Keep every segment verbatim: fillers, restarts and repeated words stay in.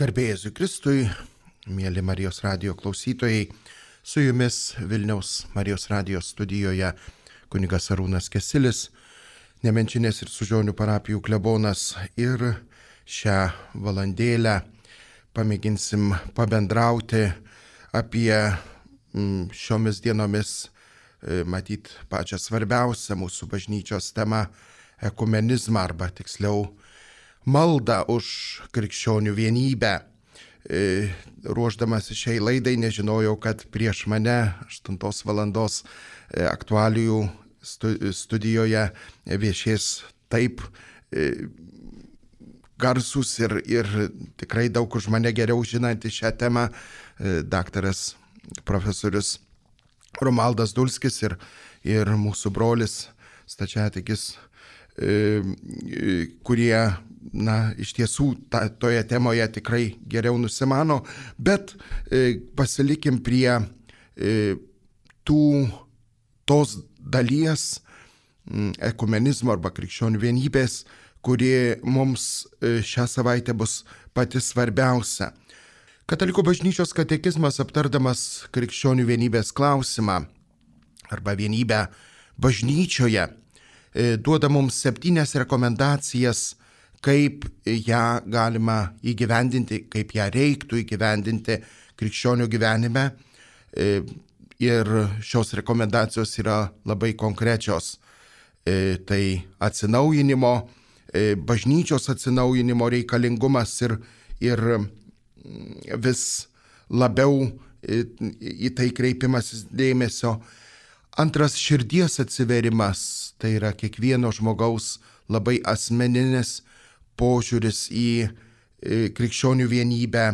Garbė Jėzui Kristui, mėly Marijos radijo klausytojai, su jumis Vilniaus Marijos radijo studijoje kunigas Arūnas Kesilis, Nemenčinės ir Sužionių parapijų klebonas, ir šią valandėlę pamėginsim pabendrauti apie šiomis dienomis, matyt, pačią svarbiausią mūsų bažnyčios temą - ekumenizmą, arba tiksliau maldą už krikščionių vienybę. Ruošdamas šiai laidai nežinojau, kad prieš mane aštuntos valandos aktualijų studijoje viešės taip garsus ir, ir tikrai daug už mane geriau žinanti šią temą daktaras profesorius Romaldas Dulskis ir, ir mūsų brolis stačiatikis, kurie, na, iš tiesų ta, toje temoje tikrai geriau nusimano, bet e, pasilikim prie e, tų, tos dalies m, ekumenizmo arba krikščionių vienybės, kuri mums e, šią savaitę bus pati svarbiausia. Katalikų bažnyčios katekizmas, aptardamas krikščionių vienybės klausimą arba vienybę bažnyčioje, e, duoda mums septynias rekomendacijas, kaip ją galima įgyvendinti, kaip ją reiktų įgyvendinti krikščionių gyvenime. Ir šios rekomendacijos yra labai konkrečios. Tai atsinaujinimo, bažnyčios atsinaujinimo reikalingumas ir, ir vis labiau į tai kreipimasis dėmesio. Antras, širdies atsiverimas, tai yra kiekvieno žmogaus labai asmeninis požiūris į krikščionių vienybę,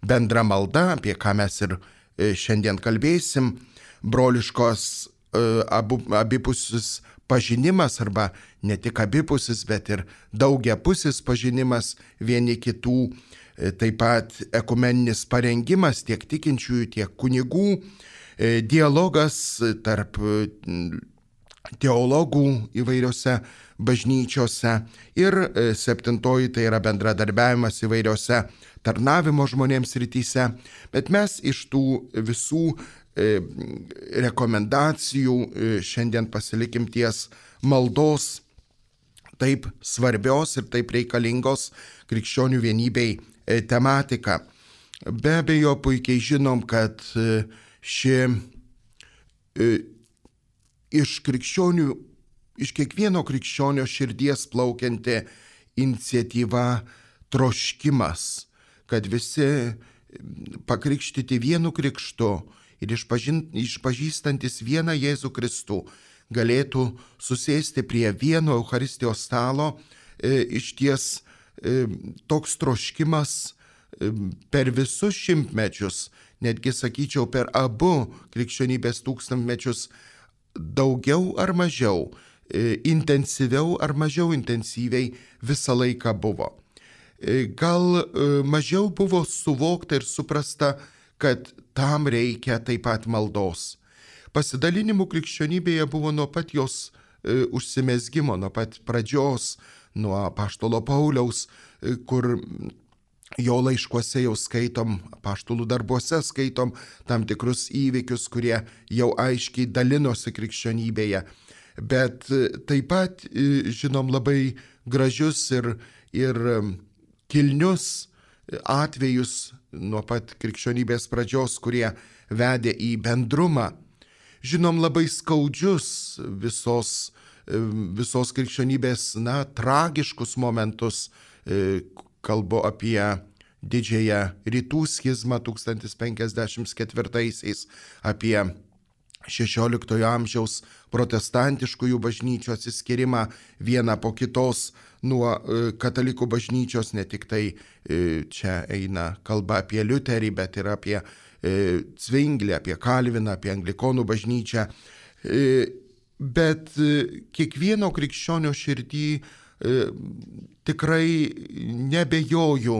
bendra malda, apie ką mes ir šiandien kalbėsim, broliškos abu, abipusis pažinimas, arba ne tik abipusis, bet ir daugiapusis pažinimas vieni kitų, taip pat ekumeninis parengimas tiek tikinčiųjų, tiek kunigų, dialogas tarp teologų įvairiose bažnyčiose ir septintoji tai yra bendradarbiavimas įvairiose tarnavimo žmonėms rytise. Bet mes iš tų visų e, rekomendacijų e, šiandien pasilikim ties maldos taip svarbios ir taip reikalingos krikščionių vienybei e, tematika. Be abejo, puikiai žinom, kad e, ši e, iš krikščionių Iš kiekvieno krikščionio širdies plaukianti iniciatyva, troškimas, kad visi pakrikštyti vienu krikštu ir išpažįstantis vieną Jėzų Kristų galėtų susėsti prie vieno Eucharistijos stalo, e, iš ties e, toks troškimas e, per visus šimtmečius, netgi sakyčiau per abu krikščionybės tūkstantmečius, daugiau ar mažiau, intensyviau ar mažiau intensyviai visą laiką buvo. Gal mažiau buvo suvokta ir suprasta, kad tam reikia taip pat maldos. Pasidalinimų krikščionybėje buvo nuo pat jos užsimezgimo, nuo pat pradžios, nuo apaštalo Pauliaus, kur jo laiškuose jau skaitom, apaštalų darbuose skaitom tam tikrus įvykius, kurie jau aiškiai dalinosi krikščionybėje. Bet taip pat žinom labai gražius ir, ir kilnius atvejus nuo pat krikščionybės pradžios, kurie vedė į bendrumą. Žinom labai skaudžius visos, visos krikščionybės, na, tragiškus momentus. Kalbu apie didžiąją rytų schizmą tūkstantis penkiasdešimt ketvirtaisiais, apie šešioliktojo amžiaus protestantiškųjų bažnyčių atsiskyrimą vieną po kitos nuo katalikų bažnyčios. Ne tik tai čia eina kalba apie Liuterį, bet ir apie Cvinglį, apie Kalviną, apie Anglikonų bažnyčią. Bet kiekvieno krikščionio širdį tikrai nebejoju,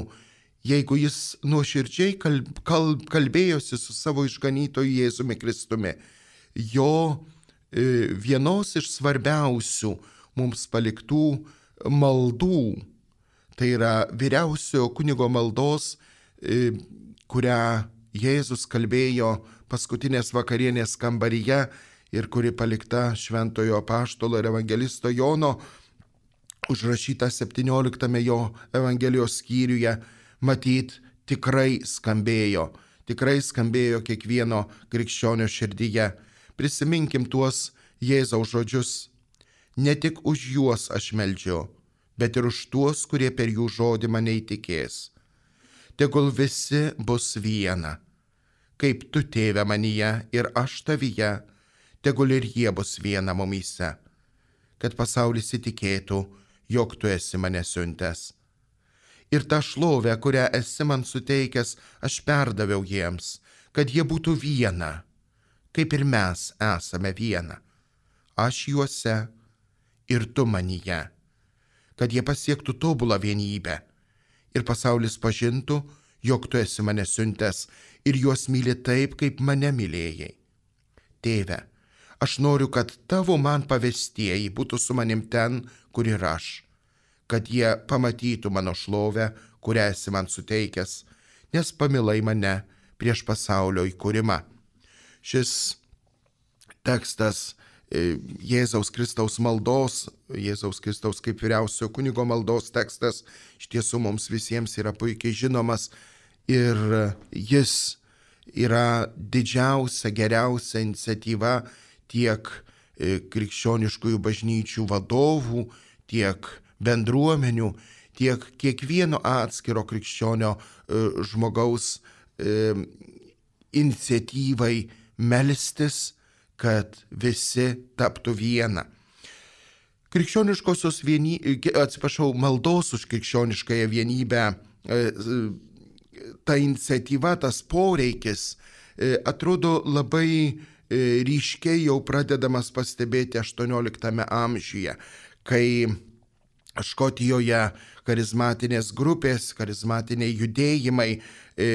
jeigu jis nuoširdžiai kalb, kalb, kalbėjosi su savo išganytoju Jėzumi Kristumi. Jo e, vienos iš svarbiausių mums paliktų maldų, tai yra vyriausiojo kunigo maldos kurią Jėzus kalbėjo paskutinės vakarienės kambaryje ir kuri palikta šventojo apaštalo ir evangelisto Jono, užrašyta septynioliktame jo evangelijos skyriuje, matyt, tikrai skambėjo, tikrai skambėjo kiekvieno krikščionio širdyje. Prisiminkim tuos Jėzaus žodžius. Ne tik už juos aš meldžiu, bet ir už tuos, kurie per jų žodį mane įtikės. Tegul visi bus viena, kaip tu, tėve, manyje ir aš tavyje, tegul ir jie bus viena mumyse, kad pasaulis įtikėtų, jog tu esi mane siuntęs. Ir tą šlovę, kurią esi man suteikęs, aš perdaviau jiems, kad jie būtų viena, kaip ir mes esame viena. Aš juose ir tu manyje, kad jie pasiektų tobulą vienybę ir pasaulis pažintų, jog tu esi mane siuntęs ir juos myli taip, kaip mane mylėjai. Tėve, aš noriu, kad tavo man pavestieji būtų su manim ten, kur ir aš, kad jie pamatytų mano šlovę, kurią esi man suteikęs, nes pamilai mane prieš pasaulio įkūrimą. Šis tekstas Jėzaus Kristaus maldos, Jėzaus Kristaus kaip vyriausio kunigo maldos tekstas iš tiesų mums visiems yra puikiai žinomas ir jis yra didžiausia, geriausia iniciatyva tiek krikščioniškųjų bažnyčių vadovų, tiek bendruomenių, tiek kiekvieno atskiro krikščionio žmogaus iniciatyvai melstis, kad visi taptų viena. Krikščioniškosios vienybės, atsiprašau, maldos už krikščioniškąją vienybę, ta iniciatyva, tas poreikis atrodo labai ryškiai jau pradedamas pastebėti aštuonioliktame amžiuje, kai Škotijoje charizmatinės grupės, charizmatiniai judėjimai e,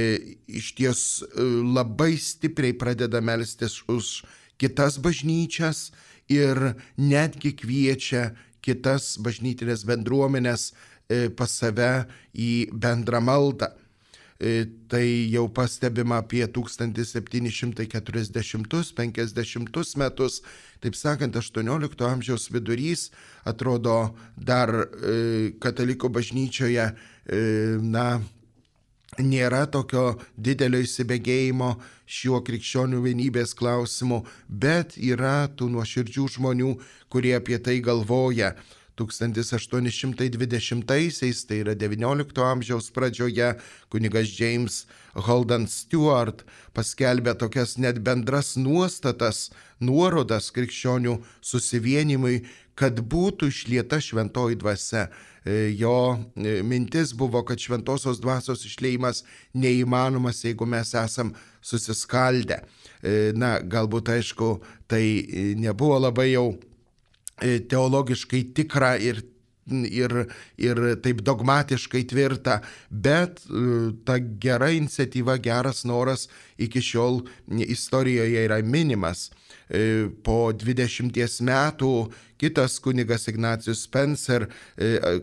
iš ties e, labai stipriai pradeda melstis už kitas bažnyčias ir netgi kviečia kitas bažnytinės bendruomenės e, pas save į bendrą maldą. E, tai jau pastebima apie tūkstantis septyni šimtai keturiasdešimtus penkdesimtus metus, taip sakant, aštuoniolikto amžiaus vidurys, atrodo dar e, katalikų bažnyčioje e, na, nėra tokio didelio įsibėgėjimo šiuo krikščionių vienybės klausimu, bet yra tų nuoširdžių žmonių, kurie apie tai galvoja. tūkstantis aštuoni šimtai dvidešimtaisiais, tai yra devyniolikto amžiaus pradžioje, kunigas James Holden Stewart paskelbė tokias net bendras nuostatas, nuorodas krikščionių susivienimui, kad būtų išlieta šventoji dvasia. Jo mintis buvo, kad šventosios dvasios išliejimas neįmanomas, jeigu mes esam susiskaldę. Na, galbūt, aišku, tai nebuvo labai jau teologiškai tikra ir, ir, ir taip dogmatiškai tvirta, bet ta gera iniciatyva, geras noras iki šiol istorijoje yra minimas. Po dvidešimties metų kitas kunigas Ignacijus Spencer,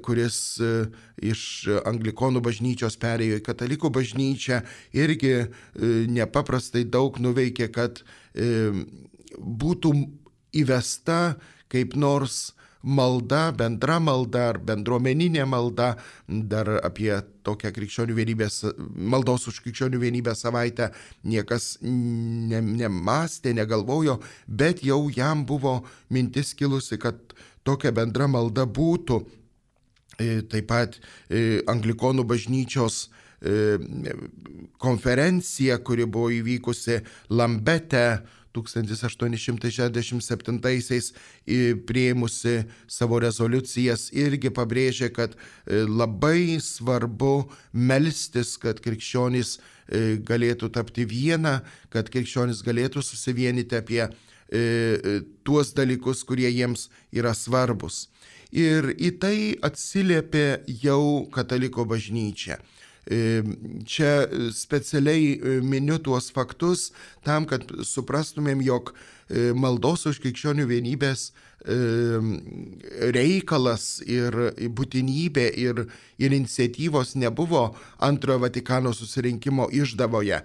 kuris iš anglikonų bažnyčios perėjo į katalikų bažnyčią, irgi nepaprastai daug nuveikė, kad būtų įvesta kaip nors malda, bendra malda ar bendruomeninė malda, dar apie tokią krikščionių vienybės, maldos už krikščionių vienybę savaitę niekas ne, nemastė, negalvojo, bet jau jam buvo mintis kilusi, kad tokia bendra malda būtų. Taip pat anglikonų bažnyčios konferencija, kuri buvo įvykusi Lambete tūkstantis aštuoni šimtai šešiasdešimt septintaisiais priėmusi savo rezoliucijas, irgi pabrėžė, kad labai svarbu melstis, kad krikščionys galėtų tapti viena, kad krikščionys galėtų susivienyti apie tuos dalykus, kurie jiems yra svarbus. Ir į tai atsiliepė jau kataliko bažnyčia. Čia specialiai miniu tuos faktus tam, kad suprastumėm, jog maldos už krikščionių vienybės reikalas ir būtinybė ir, ir iniciatyvos nebuvo antrojo Vatikano susirinkimo išdavoje,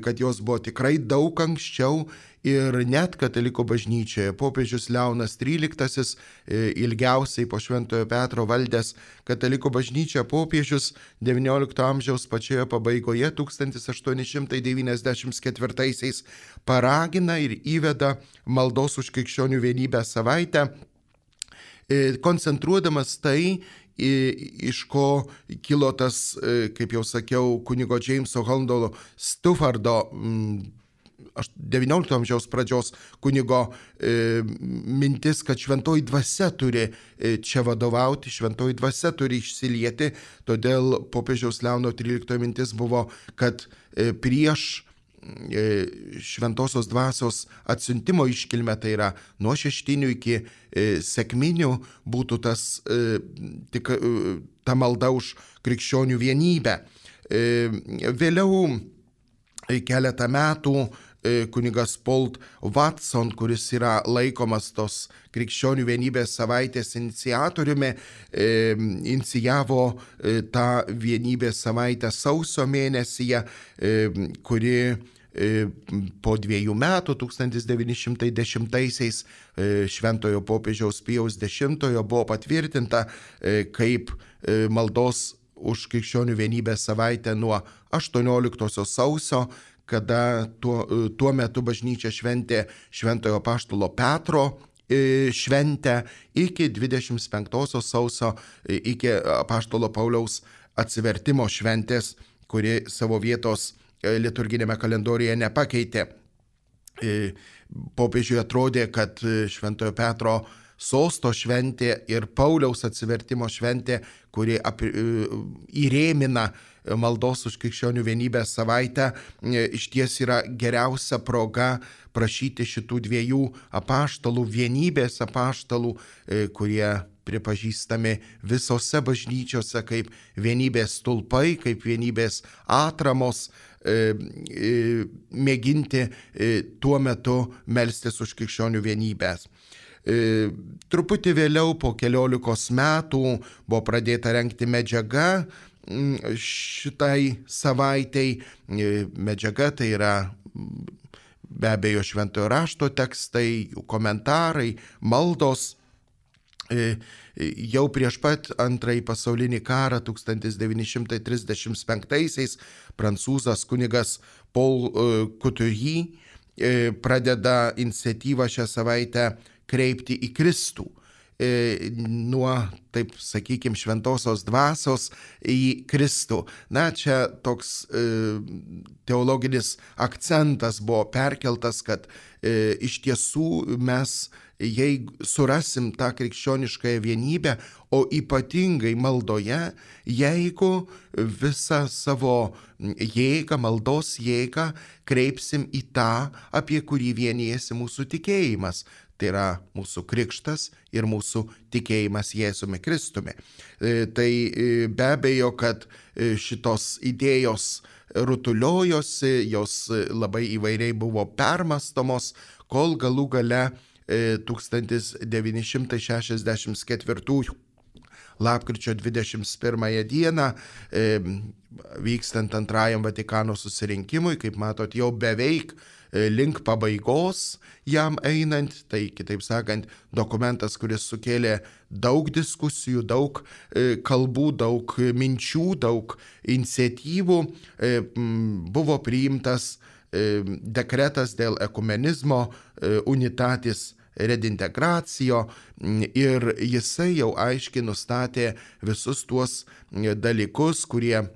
kad jos buvo tikrai daug anksčiau ir net katalikų bažnyčioje. Popiežius Leonas tryliktasis, ilgiausiai po Šventojo Petro valdęs katalikų bažnyčia popiežius devyniolikto amžiaus pačioje pabaigoje tūkstantis aštuoni šimtai devyniasdešimt ketvirtaisiais paragina ir įveda maldos už krikščionių vienybę savaitę, koncentruodamas tai, iš ko kilo tas, kaip jau sakiau, kunigo Jameso Holando Stuffardo devyniolikto amžiaus pradžios kunigo e, mintis, kad šventoji dvasia turi e, čia vadovauti, šventoji dvasia turi išsilieti, todėl popiežiaus Leono tryliktojo mintis buvo, kad e, prieš šventosios dvasios atsiuntimo iškilmę, tai yra nuo šeštinių iki e, sekminių, būtų tas, e, tik, e, ta malda už krikščionių vienybę. E, vėliau e, keletą metų e, kunigas Paul Watson, kuris yra laikomas tos krikščionių vienybės savaitės iniciatoriumi, e, inicijavo e, tą vienybės savaitę sausio mėnesyje, e, kuri po dviejų metų, tūkstantis devyni šimtai dešimtaisiais šventojo popiežiaus Pijaus dešimtojo buvo patvirtinta kaip maldos už krikščionių vienybės savaitę nuo aštuonioliktosios sausio, kada tuo, tuo metu bažnyčia šventė šventojo apaštalo Petro šventę iki dvidešimt penktosios sausio, iki apaštalo Pauliaus atsivertimo šventės, kuri savo vietos liturginėme kalendoriuje nepakeitė. Popiežiui atrodė, kad šventojo Petro sosto šventė ir Pauliaus atsivertimo šventė, kuri apie, įrėmina maldos už krikščionių vienybės savaitę, iš ties yra geriausia proga prašyti šitų dviejų apaštalų, vienybės apaštalų, kurie pripažįstami visose bažnyčiose kaip vienybės stulpai, kaip vienybės atramos, mėginti tuo metu melstis už krikščionių vienybės. Truputį vėliau, po keliolikos metų, buvo pradėta rengti medžiaga šitai savaitei. Medžiaga tai yra be abejo šventojo rašto tekstai, jų komentarai, maldos. Jau prieš pat antrąjį pasaulinį karą tūkstantis devyni šimtai trisdešimt penktaisiais prancūzas kunigas Paul Couturier pradeda iniciatyvą šią savaitę kreipti į Kristų. Nuo, taip sakykime, šventosios dvasios į Kristų. Na, čia toks e, teologinis akcentas buvo perkeltas, kad e, iš tiesų mes, jei surasim tą krikščioniškąją vienybę, o ypatingai maldoje, jeigu visą savo jėgą, maldos jėgą kreipsim į tą, apie kurį vienijasi mūsų tikėjimas. Tai yra mūsų krikštas ir mūsų tikėjimas Jėzumi Kristumi. Tai be abejo, kad šitos idėjos rutuliojosi, jos labai įvairiai buvo permastomos, kol galų gale tūkstantis devyni šimtai šešiasdešimt ketvirtųjų lapkričio dvidešimt pirmąją dieną, vykstant antrajam Vatikano susirinkimui, kaip matot, jau beveik link pabaigos jam einant, tai kitaip sakant, dokumentas, kuris sukėlė daug diskusijų, daug kalbų, daug minčių, daug iniciatyvų, buvo priimtas dekretas dėl ekumenizmo Unitatis Redintegracijo ir jisai jau aiškiai nustatė visus tuos dalykus, kurie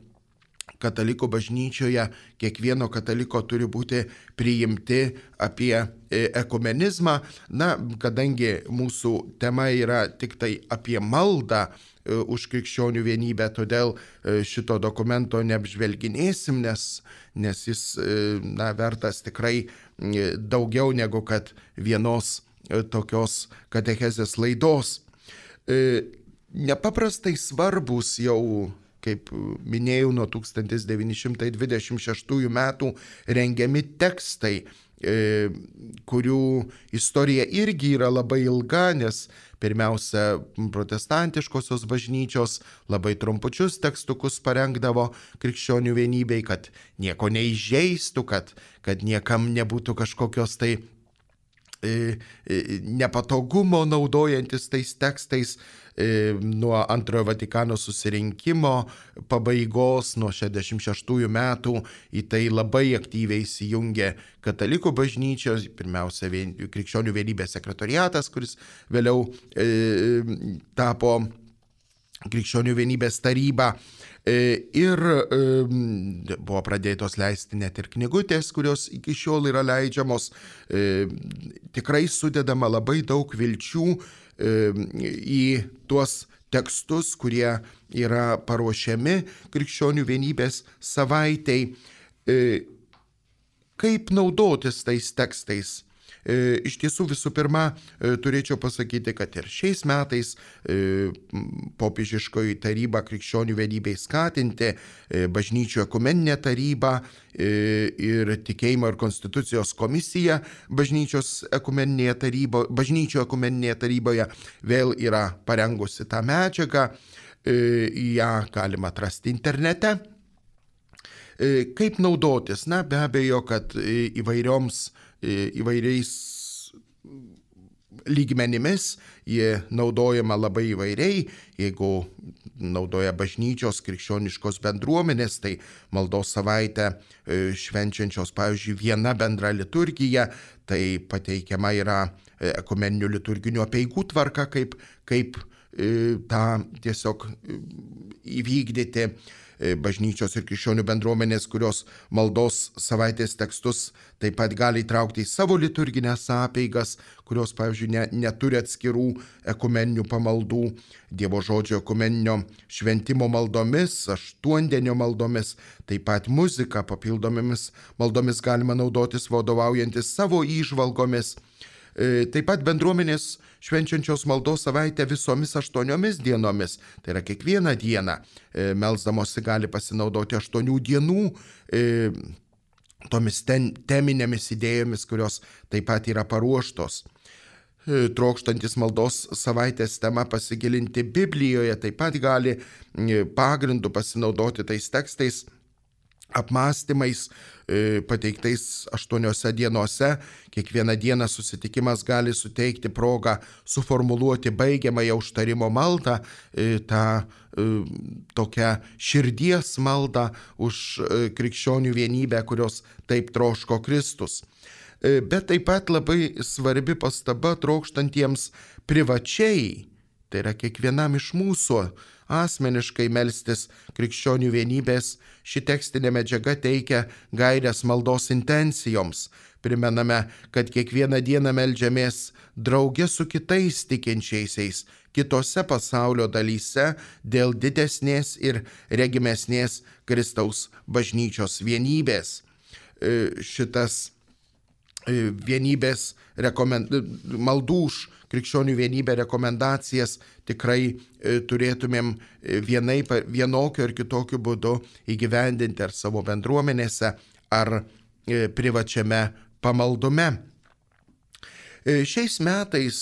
katalikų bažnyčioje kiekvieno kataliko turi būti priimti apie ekumenizmą. Na, kadangi mūsų tema yra tik tai apie maldą už krikščionių vienybę, todėl šito dokumento neapžvelginėsim, nes, nes jis na, vertas tikrai daugiau negu kad vienos tokios katechezės laidos. Nepaprastai svarbus jau, kaip minėjau, nuo tūkstantis devyni šimtai dvidešimt šeštųjų metų rengiami tekstai kurių istorija irgi yra labai ilga, nes pirmiausia, protestantiškosios bažnyčios labai trumpučius tekstukus parengdavo krikščionių vienybei, kad nieko neįžeistų, kad, kad niekam nebūtų kažkokios tai nepatogumo naudojantis tais tekstais. Nuo antrojo Vatikano susirinkimo pabaigos, nuo šešiasdešimt šeštųjų metų į tai labai aktyviai įsijungė katalikų bažnyčios, pirmiausia krikščionių vienybės sekretoriatas, kuris vėliau e, tapo krikščionių vienybės taryba. Ir buvo pradėtos leisti net ir knygutės, kurios iki šiol yra leidžiamos. Tikrai sudedama labai daug vilčių į tuos tekstus, kurie yra paruošiami krikščionių vienybės savaitei. Kaip naudotis tais tekstais? Iš tiesų, visų pirma, turėčiau pasakyti, kad ir šiais metais popiežiškoji taryba krikščionių vienybei skatinti, bažnyčių ekumeninė taryba ir tikėjimo ir konstitucijos komisija bažnyčios ekumeninėje tarybo, bažnyčių ekumeninėje taryboje vėl yra parengusi tą medžiagą, ją galima atrasti internete. Kaip naudotis? Na, be abejo, kad įvairioms įvairiais lygmenimis jie naudojama labai įvairiai. Jeigu naudoja bažnyčios krikščioniškos bendruomenės, tai maldos savaitę švenčiančios, pavyzdžiui, viena bendra liturgija, tai pateikiama yra ekumeninių liturginių apeigų tvarka, kaip, kaip tą tiesiog įvykdyti. Bažnyčios ir krikščionių bendruomenės, kurios maldos savaitės tekstus taip pat gali įtraukti į savo liturginės apeigas, kurios, pavyzdžiui, ne, neturi atskirų ekumeninių pamaldų, Dievo žodžio ekumeninio šventimo maldomis, aštuondienio maldomis, taip pat muzika, papildomomis maldomis galima naudotis vadovaujantis savo įžvalgomis. Taip pat bendruomenės švenčiančios maldos savaitę visomis aštuoniomis dienomis, tai yra kiekvieną dieną, melsdamosi gali pasinaudoti aštuonių dienų tomis ten, teminėmis idėjomis, kurios taip pat yra paruoštos. Trokštantis maldos savaitės tema pasigilinti Biblijoje, taip pat gali pagrindu pasinaudoti tais tekstais, apmąstymais pateiktais aštuoniose dienose. Kiekvieną dieną susitikimas gali suteikti progą suformuluoti baigiamąją užtarimo maldą, tą tokią širdies maldą už krikščionių vienybę, kurios taip troško Kristus. Bet taip pat labai svarbi pastaba trokštantiems privačiai, tai yra kiekvienam iš mūsų asmeniškai melstis krikščionių vienybės. Ši tekstinė medžiaga teikia gairias maldos intencijoms. Primename, kad kiekvieną dieną meldžiamės drauge su kitais tikinčiaisiais kitose pasaulio dalyse dėl didesnės ir regimesnės Kristaus bažnyčios vienybės. Šitas vienybės rekomend... maldų už krikščionių vienybę rekomendacijas tikrai turėtumėm vienaip, vienokiu ar kitokiu būdu įgyvendinti ar savo bendruomenėse, ar privačiame pamaldume. Šiais metais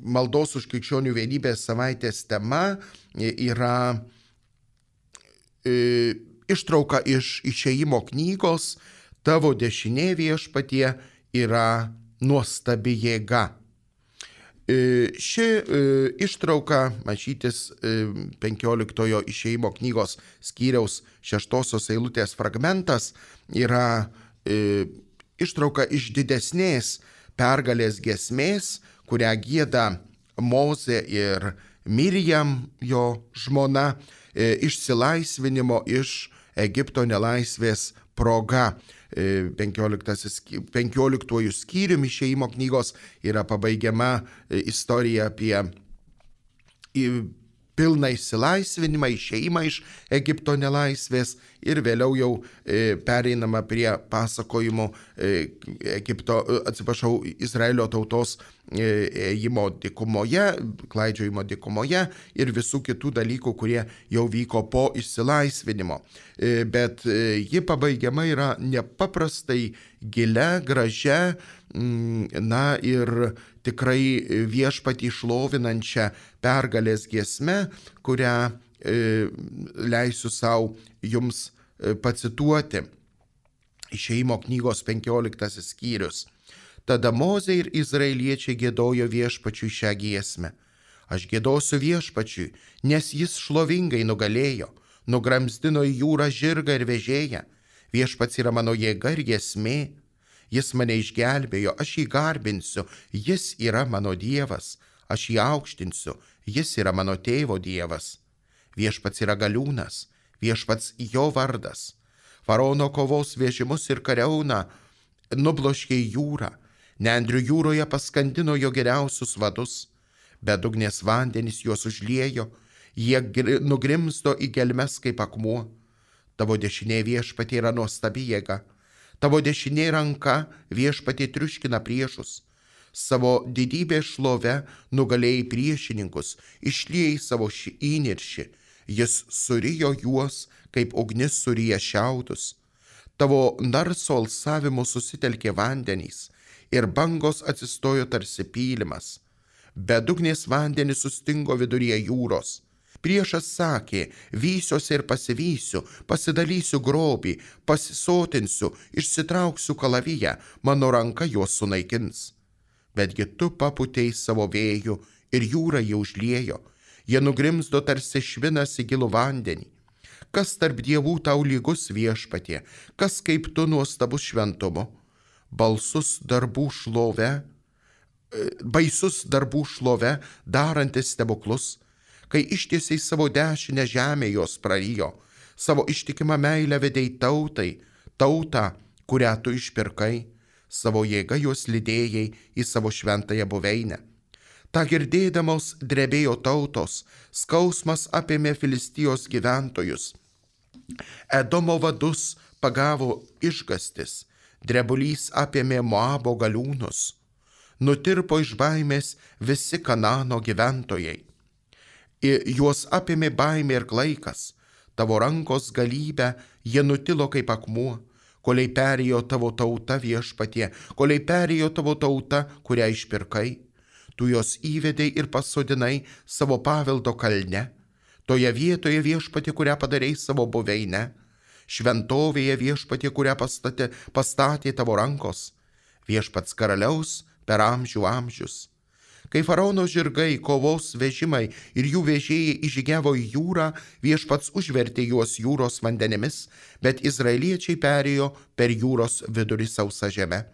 maldos už krikščionių vienybės savaitės tema yra ištrauka iš Išėjimo knygos Tavo dešinė viešpatie yra nuostabi jėga. Ši ištrauka, mačytis penkioliktojo Išėjimo knygos skyriaus šeštosios eilutės fragmentas, yra ištrauka iš didesnės pergalės giesmės, kurią gieda Mozė ir Mirjam, jo žmona, išsilaisvinimo iš Egipto nelaisvės proga. penkioliktuoju skyriumi Išėjimo knygos yra pabaigiama istorija apie pilną išsilaisvinimą, išėjimą iš Egipto nelaisvės ir vėliau jau e, pereinama prie pasakojimų e, Egipto, atsiprašau, Izraelio tautos e, ėjimo dykumoje, klaidžiojimo dykumoje ir visų kitų dalykų, kurie jau vyko po išsilaisvinimo. E, bet e, ji pabaigiama yra nepaprastai gilia, gražia, na ir tikrai viešpatį šlovinančią pergalės giesmę, kurią e, leisiu savo jums pacituoti. Išėjimo knygos penkioliktasis skyrius. Tada Mozė ir izraeliečiai giedojo viešpačiui šią giesmę. Aš giedosiu viešpačiui, nes jis šlovingai nugalėjo, nugramzdino į jūrą žirgą ir vežėją. Viešpats yra mano jėga ir giesmė. Jis mane išgelbėjo, aš jį garbinsiu, jis yra mano Dievas, aš jį aukštinsiu, jis yra mano tėvo Dievas. Viešpats yra galiūnas, viešpats jo vardas. Faraono kovos vežimus ir kariauną nubloškė į jūrą, nendrių jūroje paskandino jo geriausius vadus, bedugnės vandenys juos užliejo, jie nugrimzdo į gelmes kaip akmuo. Tavo dešinė viešpatie yra nuostabi jėga. Tavo dešinė ranka viešpatie triuškina priešus. Savo didybės šlove nugalėjai priešininkus, išliejai savo įniršį. Jis surijo juos, kaip ugnis surija šiaudus. Tavo narso alsavimu susitelkė vandenys ir bangos atsistojo tarsi pylimas. Bedugnės vandenys sustingo viduryje jūros. Priešas sakė, vysiuosi ir pasivysiu, pasidalysiu grobį, pasisotinsiu, išsitrauksiu kalaviją, mano ranka juos sunaikins. Betgi tu paputei savo vėjų ir jūra jį užliejo, jie nugrimzdo tarsi švinas į gilų vandenį. Kas tarp dievų tau lygus viešpatie, kas kaip tu nuostabus šventumu, balsus darbų šlove, baisus darbų šlove, darantis stebuklus, kai ištiesiai savo dešinę žemę jos prarijo, savo ištikimą meilę vedei tautai, tautą, kurią tu išpirkai, savo jėgą jos lydėjai į savo šventąją buveinę. Ta girdėdamos drebėjo tautos, skausmas apėmė Filistijos gyventojus. Edomo vadus pagavo išgastis, drebulys apėmė Moabo galiūnus. Nutirpo iš baimės visi Kanano gyventojai. Juos apėmė baimė ir klaikas, tavo rankos galybę jie nutilo kaip akmuo, koliai perėjo tavo tauta viešpatie, koliai perėjo tavo tauta, kurią išpirkai. Tu jos įvedei ir pasodinai savo paveldo kalne, toje vietoje viešpatie, kurią padarei savo buveinę, šventovėje viešpatie, kurią pastatė, pastatė tavo rankos, viešpats karaliaus per amžių amžius. Kai faraono žirgai, kovos vežimai ir jų vežėjai įžygiavo į jūrą, viešpats užvertė juos jūros vandenimis, bet izraeliečiai perėjo per jūros vidurį sausą žemę.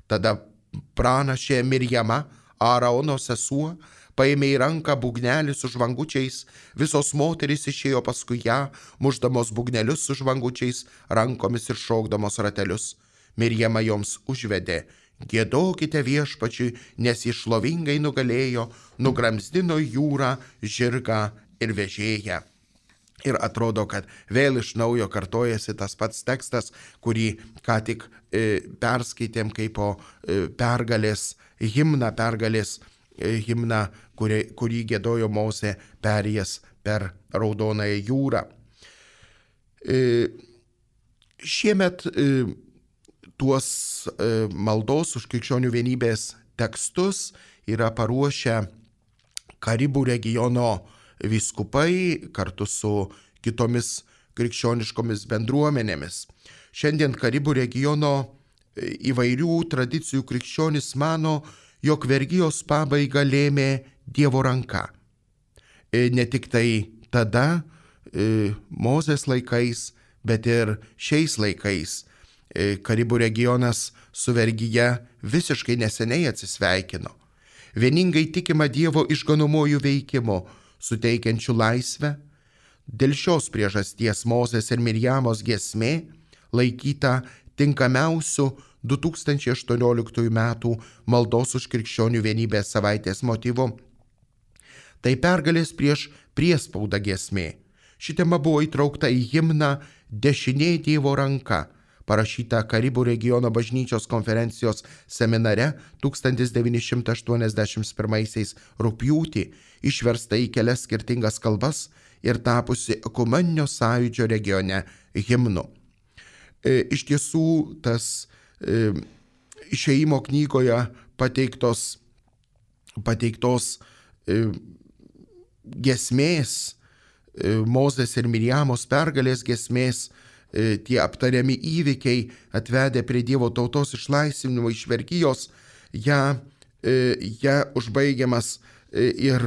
Tada pranašė Mirjama, Aarono sesuo, paėmė į ranką būgnelį su žvangučiais, visos moterys išėjo paskui ją, mušdamos būgnelius su žvangučiais, rankomis ir šokdamos ratelius. Mirjama joms užvedė: Giedokite viešpačiui, nes jis šlovingai nugalėjo, nugramzdino jūrą, žirgą ir vežėją. Ir atrodo, kad vėl iš naujo kartojasi tas pats tekstas, kurį ką tik e, perskaitėm kaip po e, pergalės himną, pergalės e, himną, kurį, kurį giedojo Mozė perėjęs per Raudonąją jūrą. E, šiemet e, tuos e, maldos už krikščionių vienybės tekstus yra paruošę Karibų regiono vyskupai kartu su kitomis krikščioniškomis bendruomenėmis. Šiandien Karibų regiono įvairių tradicijų krikščionys mano, jog vergijos pabaigą lėmė Dievo ranka. E, ne tik tai tada, e, Mozės laikais, bet ir šiais laikais. Karibų regionas su vergyje visiškai neseniai atsisveikino. Vieningai tikima Dievo išganomojų veikimu, suteikiančių laisvę. Dėl šios priežasties Mozės ir Mirjamos giesmė laikyta tinkamiausių du tūkstančiai aštuonioliktųjų metų maldos už krikščionių vienybės savaitės motyvu. Tai pergalės prieš priespauda giesmė. Ši tema buvo įtraukta į himną Dešinė Dievo ranka, parašytą Karibų regiono bažnyčios konferencijos seminare tūkstantis devyni šimtai aštuoniasdešimt pirmaisiais rugpjūtį, išversta į kelias skirtingas kalbas ir tapusi ekumeninio sąjūdžio regione himnu. E, iš tiesų, tas e, išėjimo knygoje pateiktos, pateiktos e, giesmės, Mozės ir Mirjamos pergalės giesmės, tie aptariami įvykiai atvedė prie Dievo tautos išlaisvinimo iš vergijos, ją, ją užbaigiamas ir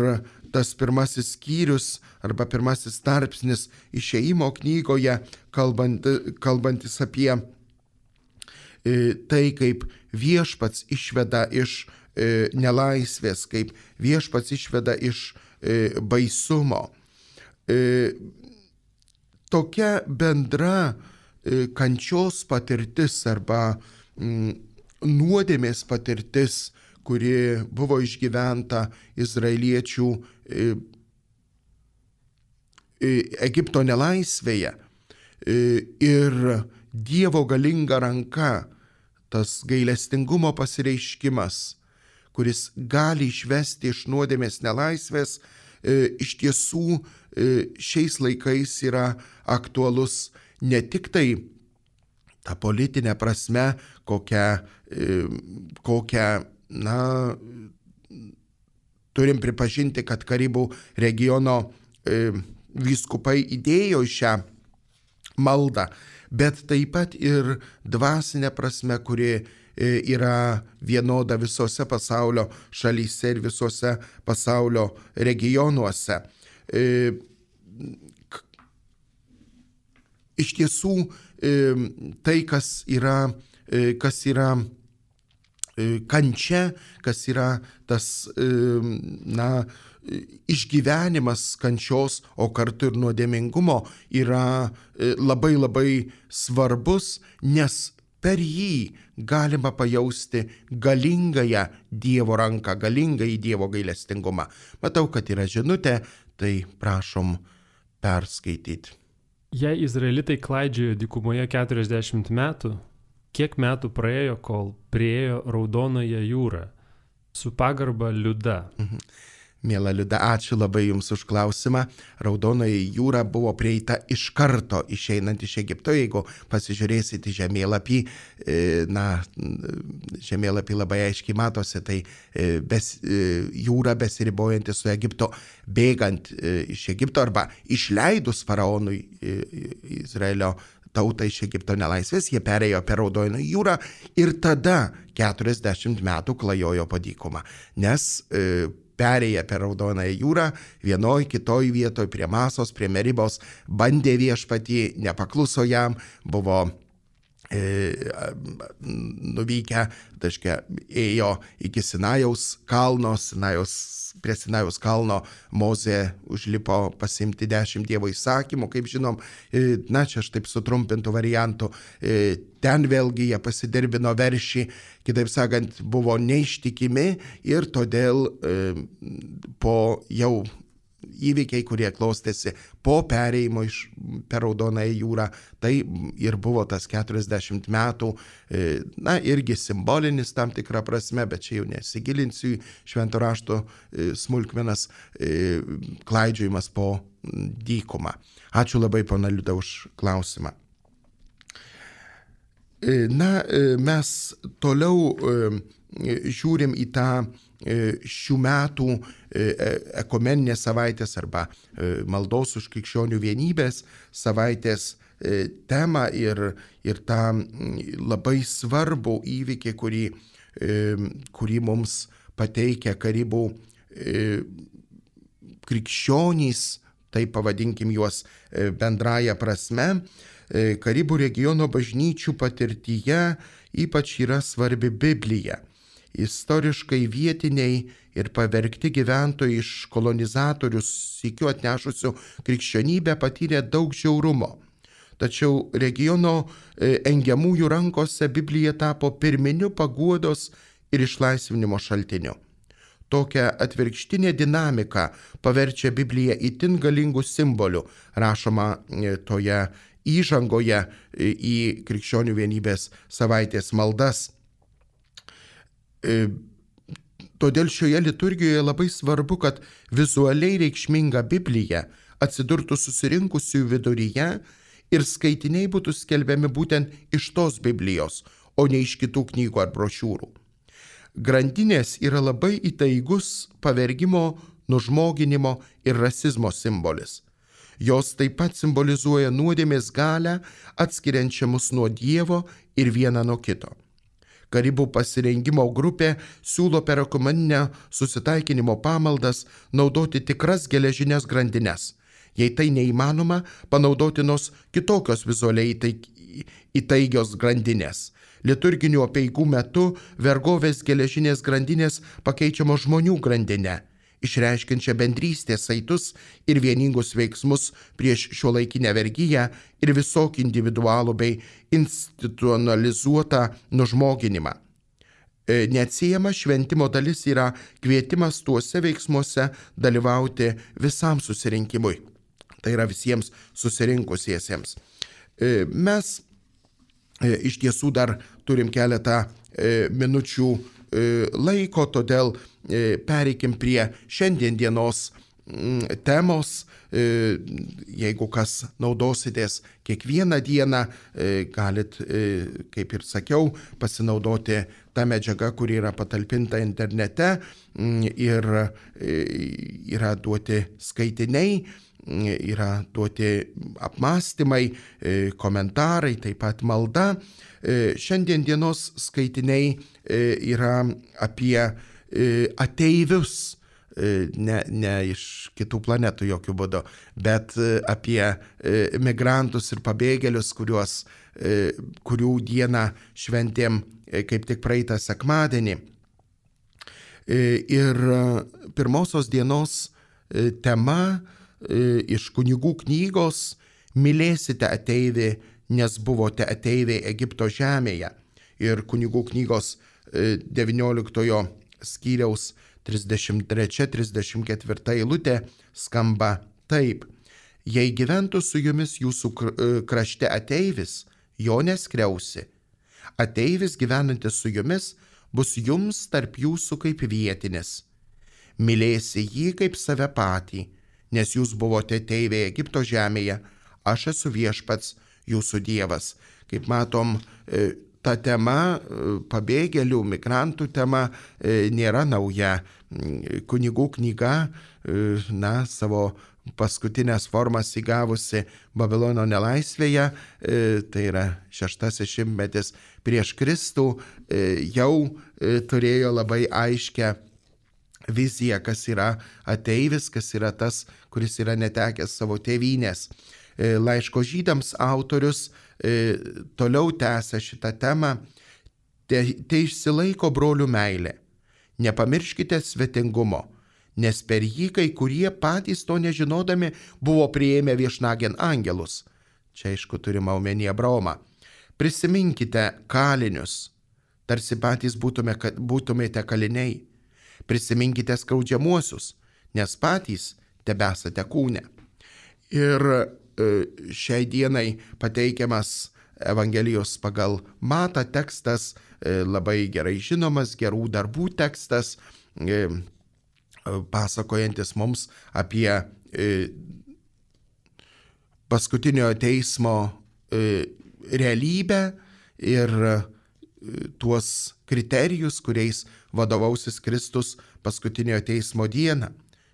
tas pirmasis skyrius arba pirmasis tarpsnis išėjimo knygoje, kalbant, kalbantis apie tai, kaip viešpats išveda iš nelaisvės, kaip viešpats išveda iš baisumo. Tokia bendra kančios patirtis arba nuodėmės patirtis, kuri buvo išgyventa izraeliečių Egipto nelaisvėje, ir Dievo galinga ranka, tas gailestingumo pasireiškimas, kuris gali išvesti iš nuodėmės nelaisvės, iš tiesų šiais laikais yra aktualus ne tik tai ta politinė prasme, kokią, kokią na, turim pripažinti, kad Karibų regiono vyskupai įdėjo šią maldą, bet taip pat ir dvasinė prasme, kuri yra vienoda visose pasaulio šalyse ir visose pasaulio regionuose. Iš tiesų, tai, kas yra, kas yra kančia, kas yra tas, na, išgyvenimas kančios, o kartu ir nuodėmingumo, yra labai labai svarbus, nes per jį galima pajausti galingąją Dievo ranką, galingąjį Dievo gailestingumą. Matau, kad yra žinutė, tai prašom perskaityti. Jei izraelitai klaidžiojo dykumoje keturiasdešimt metų, kiek metų praėjo, kol priėjo Raudonąją jūrą? Su pagarba Liuda. Mhm. Miela Liuda, ačiū labai Jums už klausimą. Raudonoji jūra buvo prieita iš karto išeinant iš Egipto. Jeigu pasižiūrėsite žemėlapį, na, žemėlapį labai aiškiai matosi, tai bes, jūra besiribojanti su Egipto, bėgant iš Egipto arba išleidus faraonui Izraelio tautą iš Egipto nelaisvės, jie perėjo per Raudoną jūrą ir tada keturiasdešimt metų klajojo po dykumą, nes perėję per Raudonąją jūrą, vienoj, kitoj vietoj, prie Masos, prie Meribos, bandė viešpatį, nepakluso jam, buvo e, nuvykę, taškia, ėjo iki Sinajaus kalno, Sinajaus, prie Sinajaus kalno Mozė užlipo pasiimti dešimt Dievo įsakymų, kaip žinom, e, na čia aš taip sutrumpintų variantų, e, ten vėlgi jie pasidirbino veršį, kitaip sakant, buvo neištikimi ir todėl e, po jau įvykiai, kurie klostėsi po perėjimo iš per Raudonąją jūrą, tai ir buvo tas keturiasdešimt metų, e, na irgi simbolinis tam tikrą prasme, bet čia jau nesigilinsiu į švento rašto e, smulkmenas, e, klaidžiojimas po dykumą. Ačiū labai, pana Liuda, už klausimą. Na, mes toliau žiūrim į tą šių metų ekumeninės savaitės arba maldos už krikščionių vienybės savaitės temą ir, ir tą labai svarbų įvykį, kurį, kurį mums pateikia Karibų krikščionys, taip pavadinkim juos bendraja prasme. Karibų regiono bažnyčių patirtyje ypač yra svarbi Biblija. Istoriškai vietiniai ir pavergti gyventojai iš kolonizatorių sykiu atnešusių krikščionybę patyrė daug žiaurumo. Tačiau regiono engiamųjų rankose Biblija tapo pirminiu paguodos ir išlaisvinimo šaltiniu. tokią atvirkštinę dinamiką paverčia Bibliją itin galingų simbolių, rašoma toje įžangoje į Krikščionių vienybės savaitės maldas. Todėl šioje liturgijoje labai svarbu, kad vizualiai reikšminga Biblija atsidurtų susirinkusių viduryje ir skaitiniai būtų skelbiami būtent iš tos Biblijos, o ne iš kitų knygų ar brošiūrų. Grandinės yra labai įtaigus pavergimo, nužmoginimo ir rasizmo simbolis. Jos taip pat simbolizuoja nuodėmės galią, atskiriančią mus nuo Dievo ir vieną nuo kito. Karibų pasirengimo grupė siūlo per ekumeninę susitaikinimo pamaldas naudoti tikras geležinės grandines. Jei tai neįmanoma, panaudotinos kitokios vizualiai įtaigios grandinės. Liturginių apeigų metu vergovės geležinės grandinės pakeičiamos žmonių grandinę, išreiškiančią bendrystės saitus ir vieningus veiksmus prieš šiuolaikinę vergiją ir visokį individualų bei institucionalizuotą nužmoginimą. Neatsiejama šventimo dalis yra kvietimas tuose veiksmuose dalyvauti visam susirinkimui. Tai yra visiems susirinkusiesiems. Mes iš tiesų dar turim keletą minučių laiko, todėl pereikim prie šiandien dienos temos. Jeigu kas naudositės kiekvieną dieną, galit, kaip ir sakiau, pasinaudoti tą medžiagą, kuri yra patalpinta internete ir yra duoti skaitiniai, yra duoti apmąstymai, komentarai, taip pat malda. Šiandien dienos skaitiniai yra apie ateivius, ne, ne iš kitų planetų jokių būdų, bet apie migrantus ir pabėgėlius, kuriuos, kurių dieną šventėm kaip tik praeitą sekmadienį. Ir pirmosios dienos tema iš kunigų knygos "Mylėsite ateivį, nes buvote ateiviai Egipto žemėje". Ir kunigų knygos devynioliktojo skyriaus trisdešimt trečia trisdešimt ketvirta eilutė skamba taip: "Jei gyventų su jumis jūsų krašte ateivis, jo neskriausi. Ateivis gyvenantis su jumis bus jums tarp jūsų kaip vietinis. Mylėsi jį kaip save patį, nes jūs buvote ateiviai Egipto žemėje, aš esu viešpats jūsų Dievas." Kaip matom, ta tema, pabėgėlių, migrantų tema, nėra nauja. Kunigų knyga, na, savo paskutinės formas įgavusi Babilono nelaisvėje, tai yra šeštasis šimtmetis prieš Kristų, jau turėjo labai aiškę viziją, kas yra ateivis, kas yra tas, kuris yra netekęs savo tėvynės. Laiško žydams autorius toliau tęsia šitą temą: "Te, te išsilaiko brolių meilė. Nepamirškite svetingumo, nes per jį kai kurie patys to nežinodami buvo priėmę viešnagėn angelus." Čia aišku turime omenyje Abraomą. "Prisiminkite kalinius, tarsi patys būtume, būtumėte kaliniai. Prisiminkite skaudžiamuosius, nes patys tebesate kūne." Ir šiai dienai pateikiamas Evangelijos pagal Matą tekstas, labai gerai žinomas, gerų darbų tekstas, pasakojantis mums apie paskutinio teismo realybę ir tuos kriterijus, kuriais vadovausis Kristus paskutinio teismo dieną,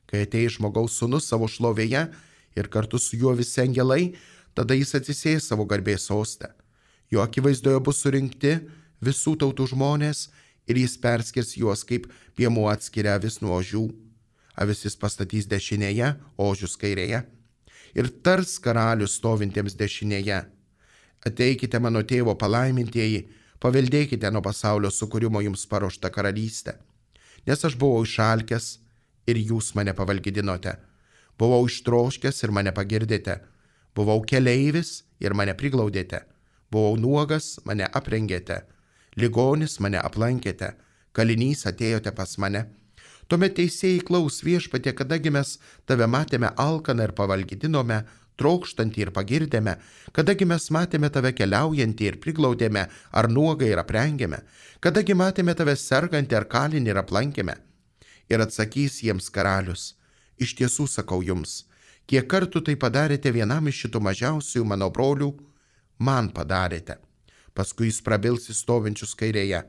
kai ateis žmogaus sūnus savo šlovėje ir kartu su juo visi angelai, tada jis atsisės savo garbės soste. Jo akivaizdoje bus surinkti visų tautų žmonės ir jis perskirs juos kaip piemuo atskiria avis nuo ožių. Avis jis pastatys dešinėje, ožius kairėje. Ir tars karalius stovintiems dešinėje: "Ateikite mano tėvo palaimintieji, paveldėkite nuo pasaulio sukūrimo jums paruoštą karalystę. Nes aš buvau išalkęs ir jūs mane pavalgydinote. Buvau ištroškęs ir mane pagirdėte. Buvau keleivis ir mane priglaudėte. Buvau nuogas, mane aprengėte. Ligonis, mane aplankėte. Kalinys, atėjote pas mane." Tuomet teisėjai klaus: Viešpatie, kadagi mes tave matėme alkaną ir pavalgydinome, trokštantį ir pagirdėme, kadagi mes matėme tave keliaujantį ir priglaudėme, ar nuogai ir aprengėme, kadagi matėme tave sergantį ar kalinį ir aplankėme. Ir atsakys jiems karalius: Iš tiesų sakau jums, kiek kartų tai padarėte vienam iš šitų mažiausių mano brolių, man padarėte. Paskui jis prabils į stovinčius kairėje: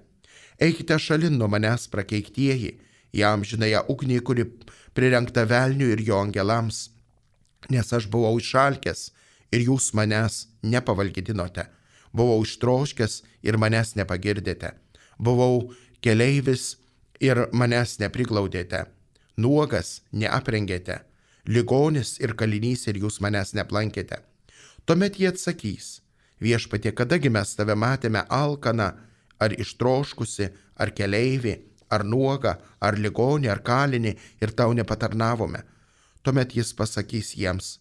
Eikite šalin nuo manęs, prakeiktieji, į amžinąją ugnį, kuri prirengta velniui ir jo angelams. Nes aš buvau išalkęs ir jūs manęs nepavalgydinote. Buvau ištroškęs ir manęs nepagirdėte. Buvau keleivis ir manęs nepriglaudėte. Nuogas neaprengėte. Ligonis ir kalinys ir jūs manęs neaplankėte. Tuomet jie atsakys: Viešpatie, kadagi mes tave matėme alkaną, ar ištroškusi, ar keleivį, ar nuogą, ar ligonį, ar kalinį ir tau nepatarnavome. Tuomet jis pasakys jiems: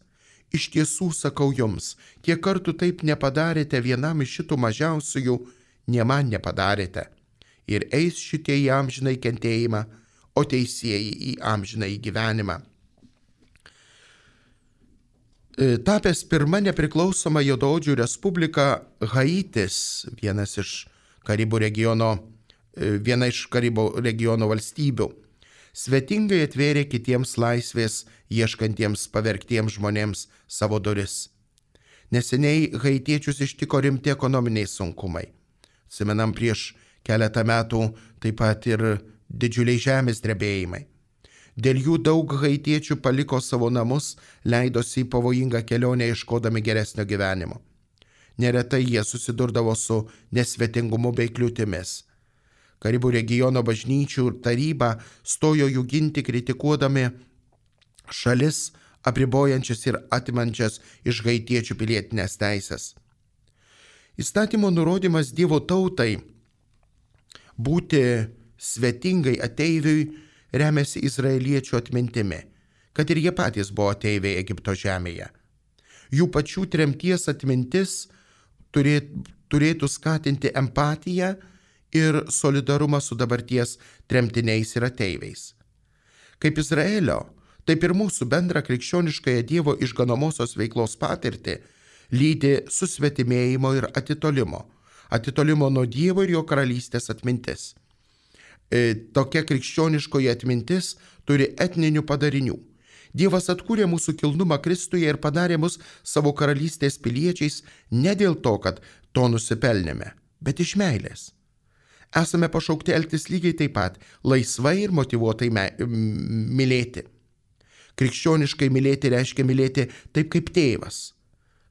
Iš tiesų sakau jums, kiek kartų taip nepadarėte vienam iš šitų mažiausiųjų, ne man nepadarėte. Ir eis šitie į amžinai kentėjimą, o teisieji į amžinai gyvenimą. Tapęs pirma nepriklausoma Juodaodžių respublika, Haitis, vienas iš Karibų regiono, viena iš Karibų regiono valstybių, svetingai atvėrė kitiems laisvės ieškantiems pavergtiems žmonėms savo duris. Neseniai haitiečius ištiko rimti ekonominiai sunkumai. Atsimenam, prieš keletą metų taip pat ir didžiuliai žemės drebėjimai. Dėl jų daug haitiečių paliko savo namus, leidosi į pavojingą kelionę ieškodami geresnio gyvenimo. Neretai jie susidurdavo su nesvetingumu bei kliūtimis. Karibų regiono bažnyčių taryba stojo jų ginti, kritikuodami šalis apribojančias ir atimančias iš haitiečių pilietinės teisės. Įstatymo nurodymas Dievo tautai būti svetingai ateiviui remiasi izraeliečių atmintimi, kad ir jie patys buvo ateiviai Egipto žemėje. Jų pačių tremties atmintis turėtų skatinti empatiją ir solidarumą su dabarties tremtiniais ir ateiviais. Kaip Izraelio, taip ir mūsų bendrą krikščioniškąją Dievo išganomosios veiklos patirtį lydi susvetimėjimo ir atitolimo, atitolimo nuo Dievo ir jo karalystės atmintis. E, tokia krikščioniškoji atmintis turi etninių padarinių. Dievas atkūrė mūsų kilnumą Kristuje ir padarė mus savo karalystės piliečiais ne dėl to, kad to nusipelnėme, bet iš meilės. Esame pašaukti elgtis lygiai taip pat, laisvai ir motyvuotai me, mylėti. Krikščioniškai mylėti reiškia mylėti taip kaip tėvas.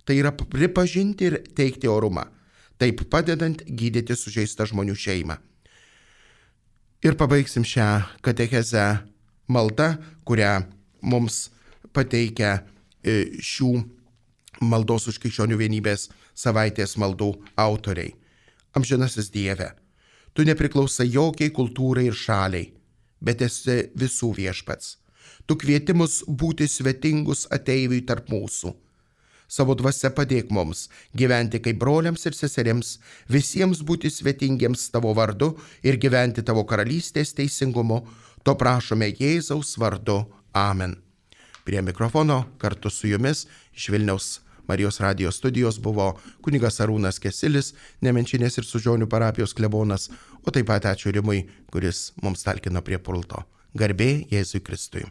Tai yra pripažinti ir teikti orumą, taip padedant gydyti sužeistą žmonių šeimą. Ir pabaigsim šią katechezę maldą, kurią mums pateikia šių maldos už krikščionių vienybės savaitės maldų autoriai. Amžinasis Dieve, tu nepriklausai jokiai kultūrai ir šaliai, bet esi visų viešpats. Tu kvieti mus būti svetingus ateiviui tarp mūsų. Savo dvasia padėk mums gyventi kaip broliams ir seserims, visiems būti svetingiems tavo vardu ir gyventi tavo karalystės teisingumu. To prašome Jėzaus vardu. Amen. Prie mikrofono kartu su jumis iš Vilniaus Marijos radijos studijos buvo kunigas Arūnas Kesilis, Nemenčinės ir Sužionių parapijos klebonas, o taip pat ačiū Rimui, kuris mums talkino prie pulto. Garbė Jėzui Kristui.